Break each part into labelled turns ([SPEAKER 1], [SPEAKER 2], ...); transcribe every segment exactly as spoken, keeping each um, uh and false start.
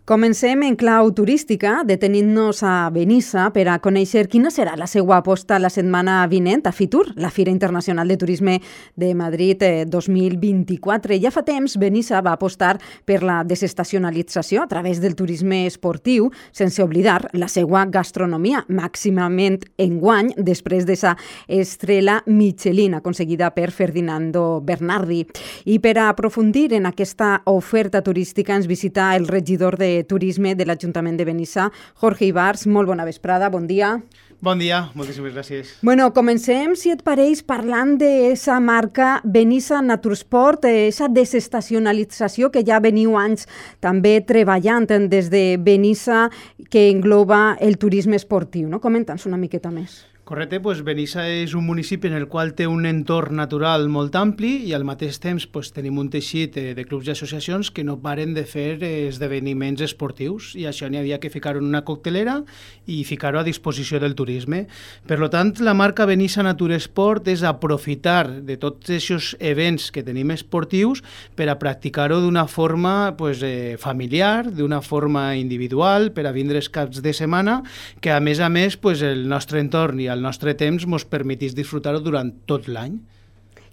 [SPEAKER 1] Comencem en clau turística, detenint-nos a Benissa per a conèixer quina serà la seva aposta la setmana vinent a Fitur, la Fira Internacional de Turisme de Madrid eh, dos mil vint-i-quatre. Ja fa temps, Benissa va apostar per la desestacionalització a través del turisme esportiu, sense oblidar la seva gastronomia, màximament enguany, després d'esa estrella Michelin aconseguida per Ferdinando Bernardi. I per a aprofundir en aquesta oferta turística ens visita el regidor de Turisme de l'Ajuntament de Benissa, Jorge Ibars. Molt bona vesprada, bon dia.
[SPEAKER 2] Bon dia, moltíssimes gràcies.
[SPEAKER 1] Bueno, comencem, si et pareix, parlant d'esa marca Benissa Natursport, esa desestacionalització que ja veniu anys també treballant des de Benissa, que engloba el turisme esportiu, no? Comenta'ns una miqueta més.
[SPEAKER 2] Correcte, doncs Benissa és un municipi en el qual té un entorn natural molt ampli i al mateix temps doncs, tenim un teixit de clubs i associacions que no paren de fer esdeveniments esportius i això n'hi havia que ficar-ho en una coctelera i ficar-ho a disposició del turisme. Per tant, la marca Benissa Natursport és aprofitar de tots aquests events que tenim esportius per a practicar-ho d'una forma pues, eh, familiar, d'una forma individual, per a vindre els caps de setmana, que a més a més pues, el nostre entorn i el nostre temps ens permetís disfrutar-ho durant tot l'any.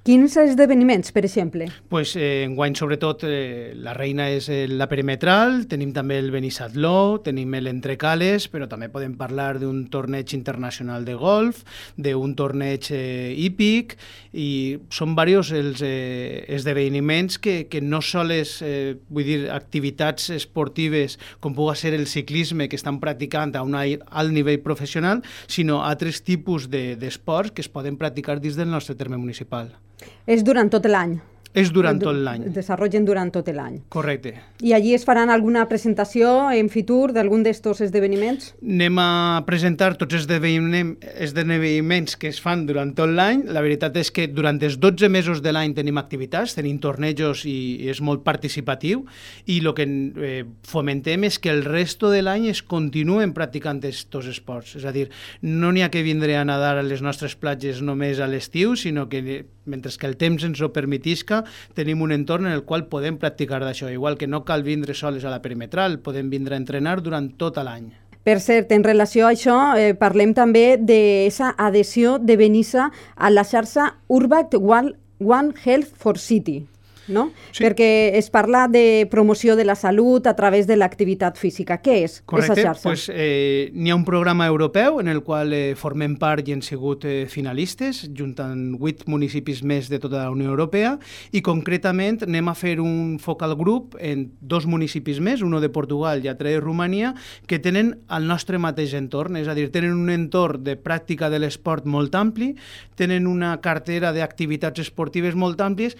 [SPEAKER 1] Quins esdeveniments, per exemple?
[SPEAKER 2] Pues, eh, enguany, sobretot, eh, la reina és eh, la perimetral, tenim també el Benissatló, tenim l'Entrecales, però també podem parlar d'un torneig internacional de golf, d'un torneig eh, hípic, i són diversos els eh, esdeveniments que, que no sols, eh, vull dir, activitats esportives com pugui ser el ciclisme que estan practicant a un alt nivell professional, sinó altres tipus de, d'esports que es poden practicar dins del nostre terme municipal.
[SPEAKER 1] És durant tot l'any?
[SPEAKER 2] És durant tot l'any.
[SPEAKER 1] Es desenvolupen durant tot l'any.
[SPEAKER 2] Correcte.
[SPEAKER 1] I allí es faran alguna presentació en Fitur d'algun d'estos esdeveniments?
[SPEAKER 2] Anem a presentar tots els esdeveniments que es fan durant tot l'any. La veritat és que durant els dotze mesos de l'any tenim activitats, tenim tornejos i és molt participatiu i el que eh, fomentem és que el resto de l'any es continuen practicant aquests esports. És a dir, no n'hi ha que vindre a nedar a les nostres platges només a l'estiu, sinó que mentre que el temps ens ho permetisca, tenim un entorn en el qual podem practicar d'això. Igual que no cal vindre sols a la perimetral, podem vindre a entrenar durant tot l'any.
[SPEAKER 1] Per cert, en relació a això, eh, parlem també d'aquesta adhesió de Benissa a la xarxa Urbact One Health for City. No? Sí. Perquè es parla de promoció de la salut a través de l'activitat física. Què és aquesta xarxa?
[SPEAKER 2] Pues, eh, n'hi ha un programa europeu en el qual eh, formem part i hem sigut eh, finalistes, juntant vuit municipis més de tota la Unió Europea, i concretament anem a fer un focal group en dos municipis més, un de Portugal i altre de Romania, que tenen el nostre mateix entorn, és a dir, tenen un entorn de pràctica de l'esport molt ampli, tenen una cartera d'activitats esportives molt àmplies,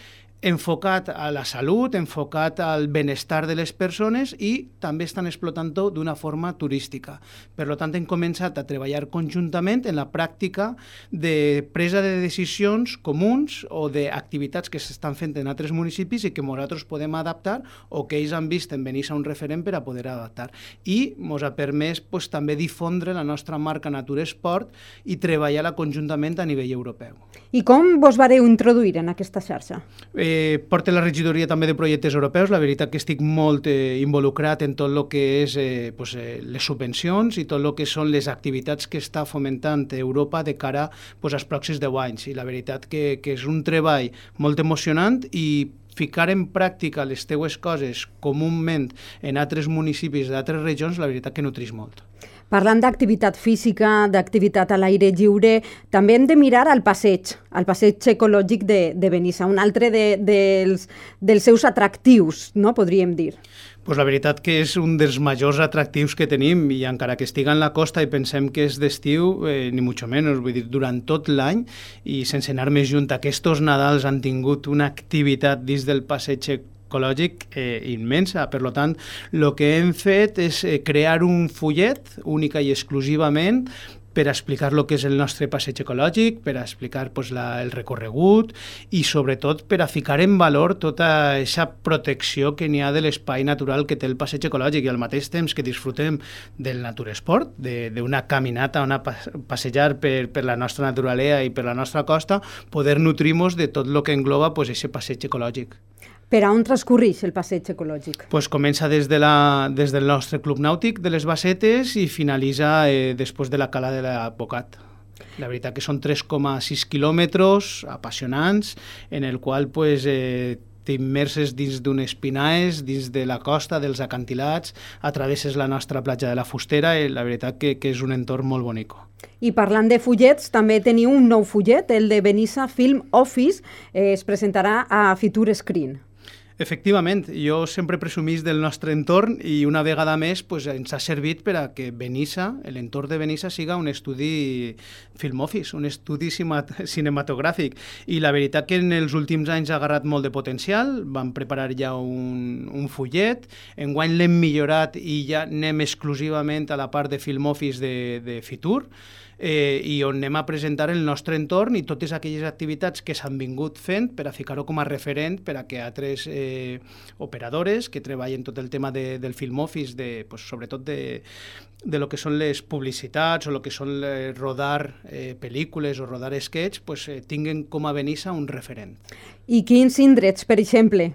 [SPEAKER 2] enfocat a la salut, enfocat al benestar de les persones i també estan explotant-ho d'una forma turística. Per tant, hem començat a treballar conjuntament en la pràctica de presa de decisions comuns o d'activitats que s'estan fent en altres municipis i que nosaltres podem adaptar o que ells han vist en Benissa un referent per a poder adaptar. I ens ha permès pues, també difondre la nostra marca Natursport i treballar-la conjuntament a nivell europeu.
[SPEAKER 1] I com vos vareu introduir en aquesta xarxa?
[SPEAKER 2] Eh, porto la regidoria també de projectes europeus, la veritat que estic molt eh, involucrat en tot el que és eh, pues, eh, les subvencions i tot el que són les activitats que està fomentant Europa de cara pues, als pròxims deu anys. I la veritat que, que és un treball molt emocionant i ficar en pràctica les teues coses comúment en altres municipis d'altres regions, la veritat que nutreix molt.
[SPEAKER 1] Parlant d'activitat física, d'activitat a l'aire lliure, també hem de mirar al passeig, al passeig ecològic de, de Benissa, un altre de, de, dels, dels seus atractius, no podríem dir.
[SPEAKER 2] Pues la veritat que és un dels majors atractius que tenim i encara que estiga en la costa i pensem que és d'estiu, eh, ni mucho menos, vull dir, durant tot l'any i sense anar més junt, aquests Nadals han tingut una activitat dins del passeig ecològic eh, immensa. Per tant, el que hem fet és eh, crear un fullet única i exclusivament per explicar el que és el nostre passeig ecològic, per explicar pues, la, el recorregut i sobretot per a ficar en valor tota aquesta protecció que n'hi ha de l'espai natural que té el passeig ecològic i al mateix temps que disfrutem del naturesport, d'una caminata, una passejar per, per la nostra naturalea i per la nostra costa, poder nutrir-nos de tot el que engloba pues, aquest passeig ecològic.
[SPEAKER 1] Per a on transcorreix el passeig ecològic?
[SPEAKER 2] Pues comença des, de la, des del nostre club nàutic de les Bassetes i finalitza eh, després de la cala de l'Advocat. La veritat que són tres coma sis quilòmetres apassionants, en el qual pues, eh, t'immerses dins d'unes pinaes, dins de la costa, dels acantilats, atravesses la nostra platja de la Fustera i la veritat que, que és un entorn molt bonic.
[SPEAKER 1] I parlant de fullets, també teniu un nou fullet, el de Benissa Film Office, eh, es presentarà a Fitur Screen.
[SPEAKER 2] Efectivament, jo sempre presumís del nostre entorn i una vegada més pues, ens ha servit per a que Benissa, l'entorn de Benissa, siga un estudi film office, un estudi cinematogràfic. I la veritat que en els últims anys ha agarrat molt de potencial, vam preparar ja un, un fullet, enguany l'hem millorat i ja anem exclusivament a la part de film office de, de Fitur, Eh, i on anem a presentar el nostre entorn i totes aquelles activitats que s'han vingut fent per a ficar-ho com a referent per a que altres eh, operadores que treballen tot el tema de, del film office, de, pues, sobretot de, de lo que són les publicitats o lo que són eh, rodar eh, pel·lícules o rodar sketch, pues, eh, tinguen com a Benissa un referent.
[SPEAKER 1] I quins indrets, per exemple,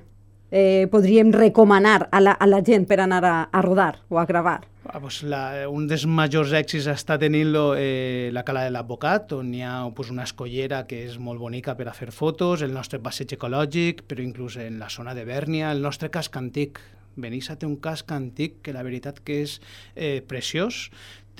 [SPEAKER 1] eh, podríem recomanar a la, a la gent per anar a, a rodar o a gravar?
[SPEAKER 2] Ah, pues la, un dels majors èxits està tenint-lo eh, la Cala de l'Advocat, on hi ha pues, una escollera que és molt bonica per a fer fotos, el nostre passeig ecològic, però inclús en la zona de Bèrnia, el nostre casc antic. Benissa té un casc antic que la veritat que és eh, preciós,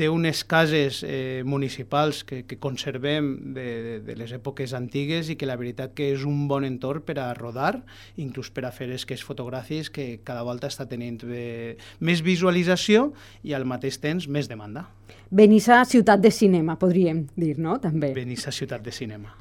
[SPEAKER 2] té unes cases eh, municipals que, que conservem de, de, de les èpoques antigues i que la veritat que és un bon entorn per a rodar, inclús per a fer esquets fotogràfics que cada volta està tenint eh, més visualització i al mateix temps més demanda.
[SPEAKER 1] Benissa, ciutat de cinema, podríem dir, no? També.
[SPEAKER 2] Benissa, ciutat de cinema.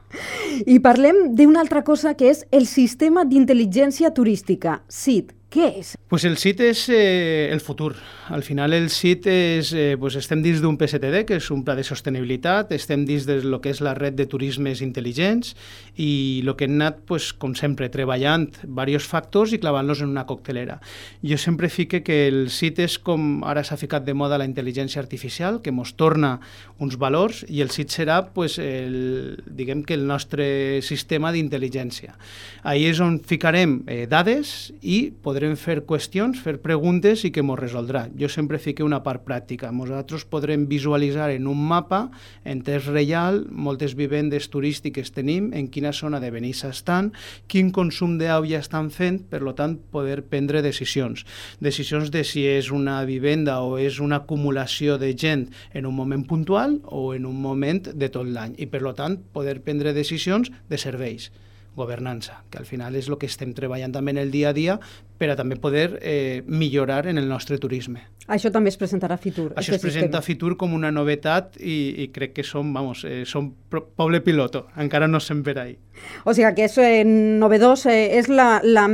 [SPEAKER 1] I parlem d'una altra cosa que és el sistema d'intel·ligència turística, S I T. Què és?
[SPEAKER 2] Pues el S I T és eh, el futur. Al final el S I T és, eh, pues estem dins d'un P S T D, que és un pla de sostenibilitat, estem dins de lo que és la red de turismes intel·ligents i el que hem anat, pues, com sempre, treballant diversos factors i clavant-los en una coctelera. Jo sempre fique que el S I T és com ara s'ha ficat de moda la intel·ligència artificial, que ens torna uns valors i el S I T serà pues, el, diguem que el nostre sistema d'intel·ligència. Ahí és on ficarem eh, dades i podrem podrem fer qüestions, fer preguntes i que ens resoldrà. Jo sempre fico una part pràctica. Nosaltres podrem visualitzar en un mapa, en temps real, moltes vivendes turístiques tenim, en quina zona de Benissa estan, quin consum d'au ja estan fent, per tant, poder prendre decisions. Decisions de si és una vivenda o és una acumulació de gent en un moment puntual o en un moment de tot l'any. I, per tant, poder prendre decisions de serveis. Governança, que al final és el que estem treballant també en el dia a dia per a també poder eh, millorar en el nostre turisme.
[SPEAKER 1] Això també es presentarà a Fitur.
[SPEAKER 2] Això es presenta a Fitur com una novetat i, i crec que som, vamos, eh, som poble piloto, encara no estem per ahí.
[SPEAKER 1] O sigui que és eh, novedós, eh, és la, la,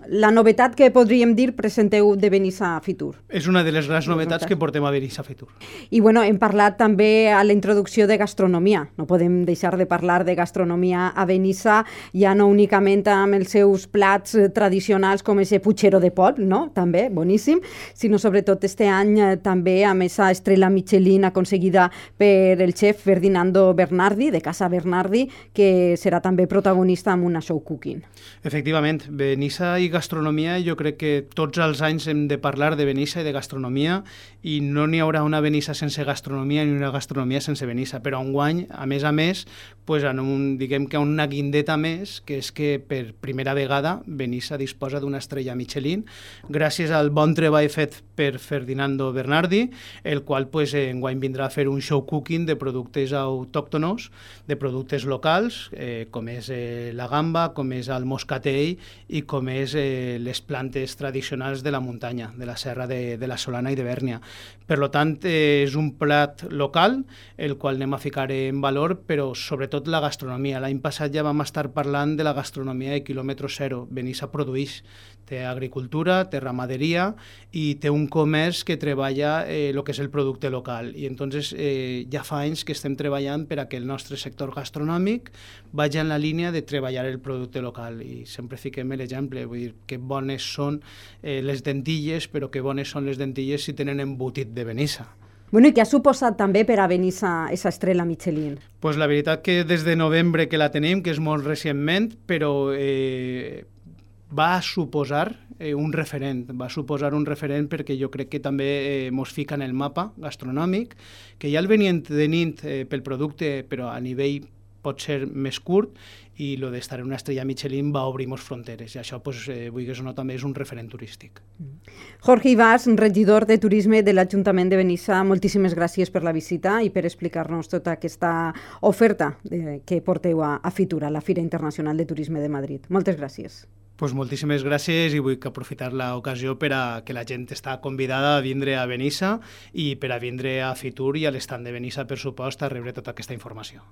[SPEAKER 1] la novetat que podríem dir presenteu de Benissa a Fitur.
[SPEAKER 2] És una de les grans novetats que portem a Benissa a Fitur.
[SPEAKER 1] I bueno, hem parlat també a la introducció de gastronomia. No podem deixar de parlar de gastronomia a Benissa, ja no únicament amb els seus plats tradicionals com ese puchero de polp, no? També, boníssim, sinó sobretot este any eh, també amb esa estrella Michelin aconseguida per el xef Ferdinando Bernardi, de Casa Bernardi, que serà també protagonista amb una show cooking.
[SPEAKER 2] Efectivament, Benissa i gastronomia, jo crec que tots els anys hem de parlar de Benissa i de gastronomia i no n'hi haurà una Benissa sense gastronomia ni una gastronomia sense Benissa, però enguany, a més a més, pues, en un, diguem que una guindeta més, que és que per primera vegada Benissa disposa d'una estrella Michelin, gràcies al bon treball fet per Ferdinando Bernardi, el qual pues, enguany vindrà a fer un show cooking de productes autòctonos, de productes locals, eh, com és eh, la gamba, com és el moscatell i com és eh, les plantes tradicionals de la muntanya, de la serra de, de la Solana i de Bèrnia. Per tant, eh, és un plat local, el qual anem a ficar en valor, però sobretot la gastronomia. L'any passat ja vam estar parlant de la gastronomia de quilòmetre zero. Benissa produeix, té agricultura, té ramaderia i té un comerç que treballa el eh, que és el producte local. I entonces eh, ja fa anys que estem treballant per a que el nostre sector gastronòmic vagi en la línia de treballar el producte local. I sempre fiquem l'exemple, vull dir, que bones són eh, les dentilles, però que bones són les dentilles si tenen embotit de Benissa.
[SPEAKER 1] Bueno, i què ha suposat també per a Benissa aquesta estrella Michelin?
[SPEAKER 2] Pues la veritat que des de novembre que la tenim, que és molt recentment, però eh, va suposar eh, un referent, va suposar un referent perquè jo crec que també eh, mos fica en el mapa gastronòmic, que ja el venien tenint eh, pel producte, però a nivell pot ser més curt, i el d'estar en una estrella Michelin va obrir moltes fronteres, i això, pues, eh, vulguis o no, també és un referent turístic.
[SPEAKER 1] Jorge Ibas, regidor de Turisme de l'Ajuntament de Benissa, moltíssimes gràcies per la visita i per explicar-nos tota aquesta oferta eh, que porteu a, a Fitur, a la Fira Internacional de Turisme de Madrid. Moltes gràcies.
[SPEAKER 2] Pues moltíssimes gràcies i vull aprofitar l'ocasió per a que la gent està convidada a vindre a Benissa i per a vindre a Fitur i a l'estand de Benissa, per supost, a rebre tota aquesta informació.